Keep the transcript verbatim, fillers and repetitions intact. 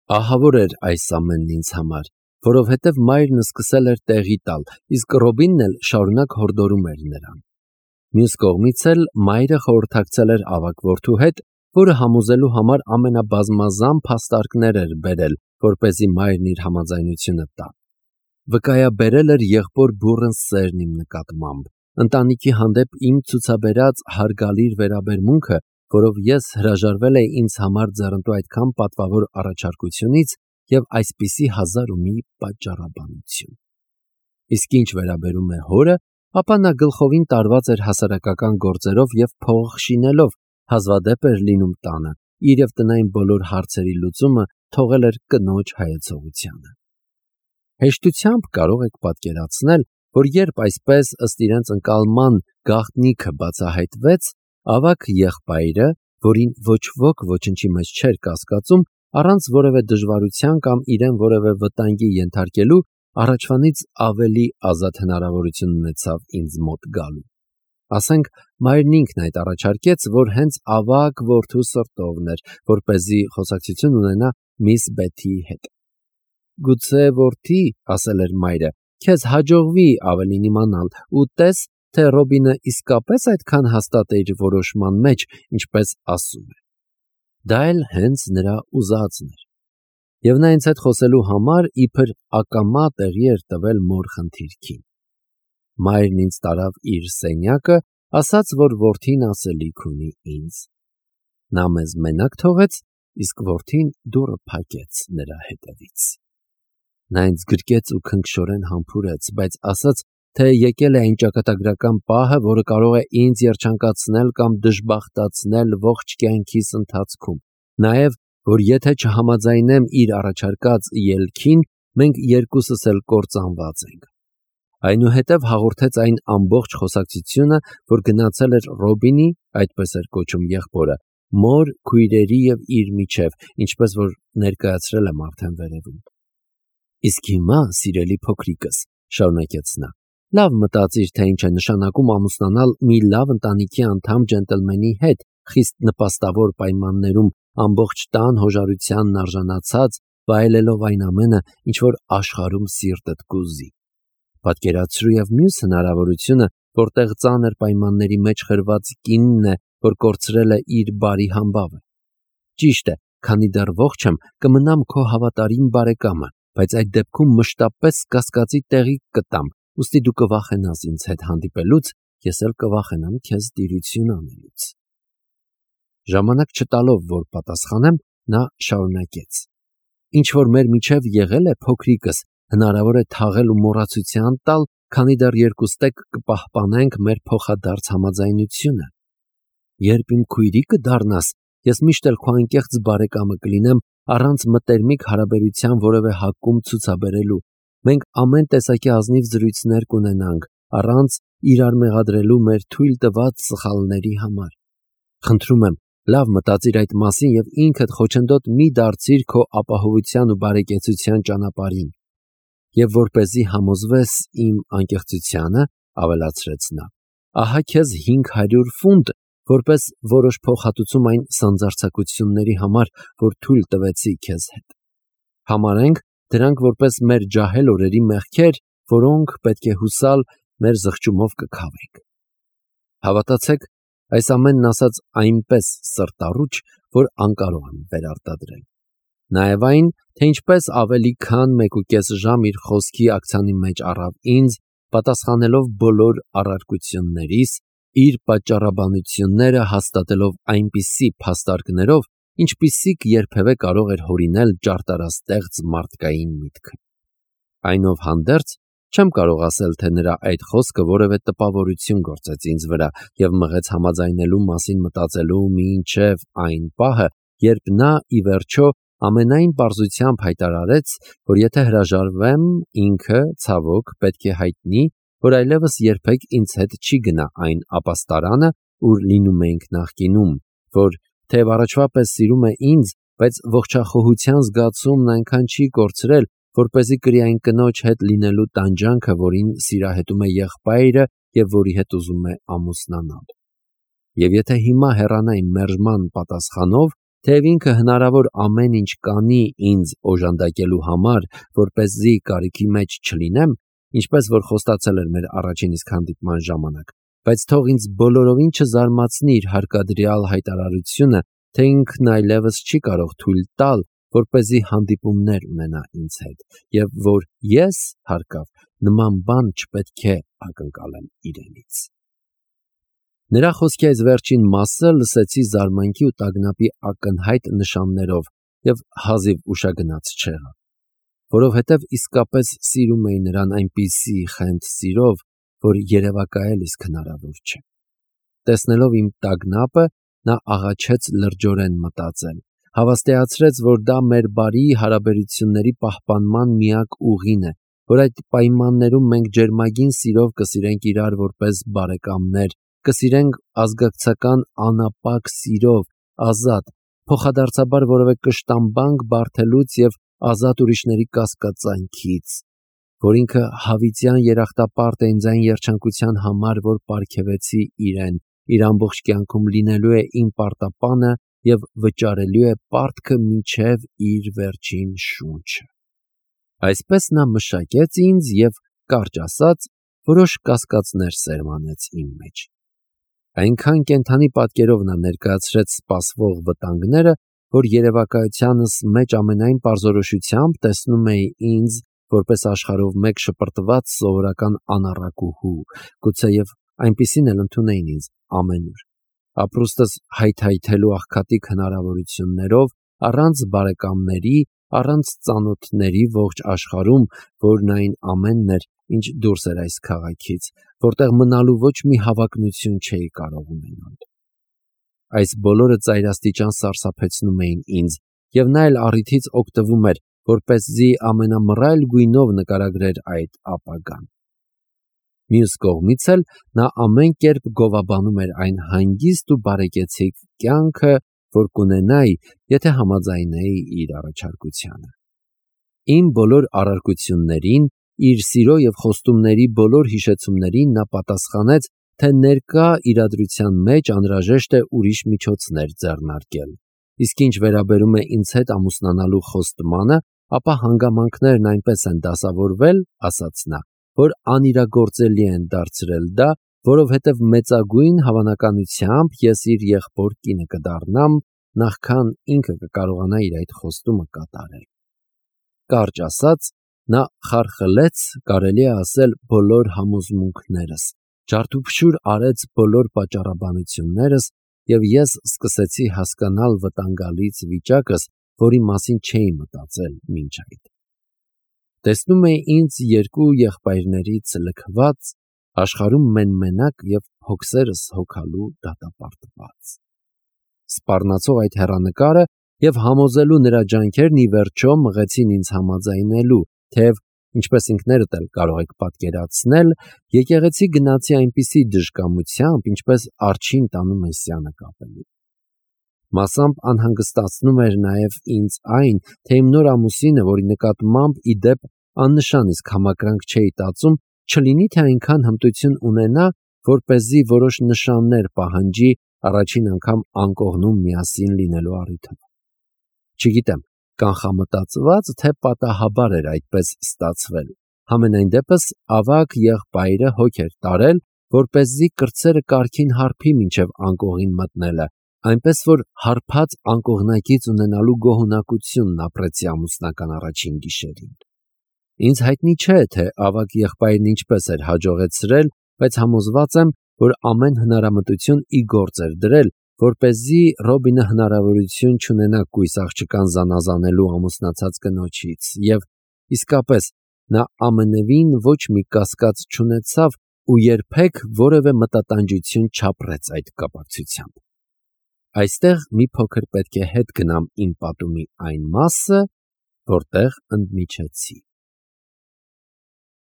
Ահավոր էր այս ամենն ինձ համար, որովհետև մայրն սկսել էր տեղի տալ, իսկ Ռոբինն էլ շարունակ հորդորում էր նրան։ Մյուս կողմից էլ մայրը խորհրդակցել էր ավագ որդու հետ, որը համոզելու համար ամենաբազմազան փաստարկներ էր բերել, որպեսզի մայրն իր համաձայնությունը տա։ Վկայաբերել էր եղբոր բուռն սերն իմ նկատմամբ, ընտանիքի հանդեպ իմ ցուցաբերած հարգալիր վերաբերմունքը, որով ես հրաժարվել էի ինձ համար ձեռնտու այդքան պատվավոր առաջարկությունից և այսպիսի հազար ու մի պատճառաբանություն։ Իսկ ինչ վերաբերում է հորը, ապա նա գլխովին տարված էր հասարակական գործերով և փող շինելով, հազվադեպ էր լինում տանը, իր և տնային բոլոր հարցերի լուծումը թողել էր կնոջ հայեցողությանը։ Հեշտությամբ կարող եք պատկերացնել, որ երբ այսպես ըստ իրենց ընկալման գաղտնիքը բացահայտվեց, ավագ եղբայրը, որին ոչ ոք ոչնչի մեջ չէր կասկածում, առանց որևէ դժվարության կամ իրեն որևէ վտանգի ենթարկելու, առաջվանից ավելի ազատ հնարավորություն ունեցավ ինձ մոտ գալու։ Ասենք, մայրն ինքն այդ առաջարկեց, որ հենց ավագ որդու սրտովն էր, որպեսզի խոսակցություն ունենա միս Բեթիի հետ։ Գուցե որդի, ասել էր մայրը, քեզ հաջողվի ավելին իմանալ, ու տես, թե Ռոբինը իսկապես այդքան հաստատ է իր որոշման մեջ, ինչպես ասում է։ Դա էլ հենց նրա ուզածն էր։ Եվ նա ինձ հետ խոսելու համար իբր ակամա տեղի էր տվել մոր խնդիրքին։ Մայրն ինձ տարավ իր սենյակը, ասաց, որ որդին ասելիք ունի ինձ։ Նա մեզ մենակ թողեց, իսկ որդին դուռը փակեց նրա հետևից։ Նա ինձ գրկեց ու քնքշորեն համբուրեց, բայց ասաց, թե եկել է այն ճակատագրական պահը, որը կարող է ինձ երջանկացնել կամ դժբախտացնել ողջ կյանքիս ընթացքում, նաև, որ եթե չհամաձայնեմ իր առաջարկած ելքին, մենք երկուսս էլ կործանված ենք։ Այնուհետև հաղորդեց այն ամբողջ խոսակցությունը, որ գնացել էր Ռոբինի, այդպես էր կոչում եղբորը, մոր, քույրերի և իր միջև, ինչպես որ ներկայացրել եմ արդեն վերևում։ Իսկ հիմա, սիրելի փոքրիկս, շարունակեց նա, լավ մտածիր, թե ինչ է նշանակում ամուսնանալ մի լավ ընտանիքի անդամ ջենտլմենի հետ, խիստ նպաստավոր պայմաններում, ամբողջ տան հոժարությանն արժանացած, վայելելով այն ամենը, ինչ որ աշխարհում սիրտդ կուզի։ Պատկերացրու և մյուս հնարավորությունը, որտեղ ծանր պայմանների մեջ խրված կինն է, որ կորցրել է իր բարի համբավը։ Ճիշտ է, քանի դեռ ողջ եմ, կմնամ քո հավատարիմ բարեկամը, բայց այդ դեպքում մշտապես կասկածի տեղիք կտամ, ուստի դու կվախենաս ինձ հետ հանդիպելուց, ես էլ կվախենամ քեզ տիրություն անելուց։ Ժամանակ չտալով, որ պատասխանեմ, նա շարունակեց. Ինչ որ մեր միջև եղել է, փոքրիկս, հնարավոր է թաղել ու մոռացության տալ, քանի դեռ երկուստեք կպահպանենք մեր փոխադարձ համաձայնությունը։ Երբ իմ քույրիկը դառնաս, ես միշտ էլ քո անկեղծ բարեկամը կլինեմ, առանց մտերմիկ հարաբերության որևէ հակում ցուցաբերելու։ Մենք ամեն տեսակի ազնիվ զրույցներ կունենանք, առանց իրար մեղադրելու մեր թույլ տված սխալների համար։ Խնդրում եմ, լավ մտածիր այդ մասին և ինքդ խոչընդոտ մի դարձիր քո ապահովության ու բարեկեցության ճանապարհին։ Եվ որպեսզի համոզվես իմ անկեղծությանը, ավելացրեց նա, ահա քեզ հինգ հարյուր ֆունտ, որպես որոշ փոխհատուցում այն սանձարձակությունների համար, որ թույլ տվեցի քեզ հետ։ Համարենք դրանք որպես մեր ջահել օրերի մեղքեր, որոնք պետք է հուսալ մեր զղջումով կքավենք։ Հավատացեք, այս ամենն ասած այնպես սրտառուչ, որ անկարող եմ վերարտադրել։ Նաև այն, թե ինչպես ավելի քան մեկուկես ժամ իր խոսքի աքցանի մեջ առավ ինձ, պատասխանելով բոլոր առարկություններիս, իր պատճառաբանությունները հաստատելով այնպիսի փաստարկներով, ինչպիսիք երբևէ կարող էր հորինել ճարտարաստեղծ մարդկային միտքը։ Այնովհանդերձ, չեմ կարող ասել, թե նրա այդ խոսքը որևէ տպավորություն գործեց ինձ վրա և մղեց համաձայնելու մասին մտածելու մինչև այն պահը, երբ նա, ի վերջո, ամենայն պարզությամբ հայտարարեց, որ եթե հրաժարվեմ, ինքը, ցավոք, պետք է հայտնի, որ այլևս երբեք ինձ հետ չի գնա այն ապաստարանը, ուր լինում էինք նախկինում, որ թեև առաջվա պես սիրում է ինձ, բայց ողջախոհության զգացումն այնքան չի կորցրել, որպեսզի կրի այն կնոջ հետ լինելու տանջանքը, որին սիրահետում է եղբայրը և որի հետ ուզում է ամուսնանալ։ Եվ եթե հիմա հեռանա իմ մերժման պատասխանով, թեև ինքը հնարավոր ամեն ինչ կանի ինձ օժանդակելու համար, որպեսզի կարիքի մեջ չլինեմ, ինչպես որ խոստացել էր մեր առաջին իսկ հանդիպման ժամանակ, բայց թող ինձ բոլորովին չզարմացնի իր հարկադրյալ հայտարարությունը, թե ինքն այլևս չի կարող թույլ տալ, որպեսզի հանդիպումներ ունենա ինձ հետ, եւ որ ես, հարկավ, նման բան չպետք է ակնկալեմ իրենից։ Նրա խոսքի այս վերջին մասը լսեցի զարմանքի ու տագնապի ակնհայտ նշաններով եւ հազիվ ուշագնաց չեղա, որովհետեւ իսկապես սիրում էի նրան այնպիսի խենթ սիրով, որ երևակայել իսկ հնարավոր չէ։ Տեսնելով իմ տագնապը, նա աղաչեց լրջորեն մտածել, հավաստիացրեց, որ դա մեր բարի հարաբերությունների պահպանման միակ ուղին է, որ այդ պայմաններում մենք ջերմագին սիրով կսիրենք իրար որպես բարեկամներ, կսիրենք ազգակցական անապակ սիրով, ազատ, փոխադարձաբար որևէ կշտամբանք բարթելուց եւ ազատ ուրիշների կասկածանքից, որ ինքը հավիտյան երախտապարտ է ինձ այն երջանկության համար, որ պարգևեցի իրեն, իր ամբողջ կյանքում լինելու է իմ պարտապանը եւ վճարելու է պարտքը մինչեւ իր վերջին շունչը։ Այսպես նա մշակեց ինձ եւ, կարճ ասած, որոշ կասկածներ սերմանեց իմ մեջ։ Այնքան կենդանի պատկերով նա ներկայացրեց սպասվող վտանգները, որ երևակայությանս մեջ ամենայն պարզորոշությամբ տեսնում էի ինձ որպես աշխարհով մեկ շպրտված սովորական անառակուհու, գուցեև այնպիսին էլ ընդունեին ինձ ամենուր, ապրուստս հայթայթելու աղքատիկ հնարավորություններով, առանց բարեկամների, առանց ծանոթների ողջ աշխարհում, որն այն ամենն էր, ինչ դուրս էր այս քաղաքից, որտեղ մնալու ոչ մի հավակնություն չէի կարող ունենալ։ Այս բոլորը ծայրաստիճան սարսափեցնում էին ինձ, եւ նա էլ առիթից օգտվում էր, որպեսզի ամենամռայլ գույնով նկարագրեր այդ ապագան։ Մյուս կողմից էլ նա ամեն կերպ գովաբանում էր այն հանգիստ ու բարեկեցիկ կյանքը, որ կունենայի, եթե համաձայնեի իր առաջարկությանը։ Իմ բոլոր առարկություններին, իր սիրո եւ խոստումների բոլոր հիշեցումներին նա պատասխանեց, թե ներկա իրադրության մեջ անհրաժեշտ է ուրիշ միջոցներ ձեռնարկել, իսկ ինչ վերաբերում է ինձ հետ ամուսնանալու խոստմանը, ապա հանգամանքներն այնպես են դասավորվել, ասաց նա, որ անիրագործելի են դարձրել դա, որովհետև մեծագույն հավանականությամբ ես իր եղբոր կինը կդառնամ, նախքան ինքը կկարողանա իր այդ խոստումը կատարել։ Կարճ ասած, նա խարխլեց, կարելի է ասել, բոլոր համոզմունքներս, ջարդուփշուր արեց բոլոր պատճառաբանություններս, եւ ես սկսեցի հասկանալ վտանգալից վիճակս, որի մասին չէի մտածել մինչ այդ։ Տեսնում էի ինձ երկու եղբայրներից լքված, աշխարհում մեն-մենակ եւ հոգսերս հոգալու դատապարտված։ Սպառնացող այդ հեռանկարը եւ համոզելու նրա ջանքերն ի վերջո մղեցին ինձ համաձայնելու, թեև, ինչպես ինքներդ էլ կարող եք պատկերացնել, եկեղեցի գնացի այնպիսի դժկամությամբ, ինչպես արջին տանում է սյանը կապելու։ Մասամբ անհանգստացնում էր նաև ինձ այն, թե իմ նոր ամուսինը, որի նկատմամբ ի դեպ աննշան իսկ համակրանք չէի տածում, չլինի թե այնքան հմտություն ունենա, որպեսզի որոշ նշաններ պահանջի առաջին անգամ անկողնում միասին լինելու առիթով։ Չգիտեմ, կանխամտածված թե պատահաբար էր այդպես ստացվել։ Համենայն դեպս ավագ եղբայրը հոգ էր տարել, որպեսզի կրտսերը կարգին հարբի մինչև անկողին մտնելը, այնպես որ հարբած անկողնակից ունենալու գոհունակությունն ապրեցի ամուսնական առաջին գիշերին։ Ինձ հայտնի չէ, թե ավագ եղբայրն ինչպես էր հաջողեցրել, բայց համոզված եմ, որ ամեն հնարամտություն ի գործ էր դրել, որպեսզի Ռոբինը հնարավորություն չունենա կույս աղջկան զանազանելու ամուսնացած կնոջից, եւ իսկապես նա ամենևին ոչ մի կասկած չունեցավ ու երբեք որևէ մտատանջություն չապրեց այդ կապակցությամբ։ Այստեղ մի փոքր պետք է հետ գնամ իմ պատումի այն մասը, որտեղ ընդմիջեցի։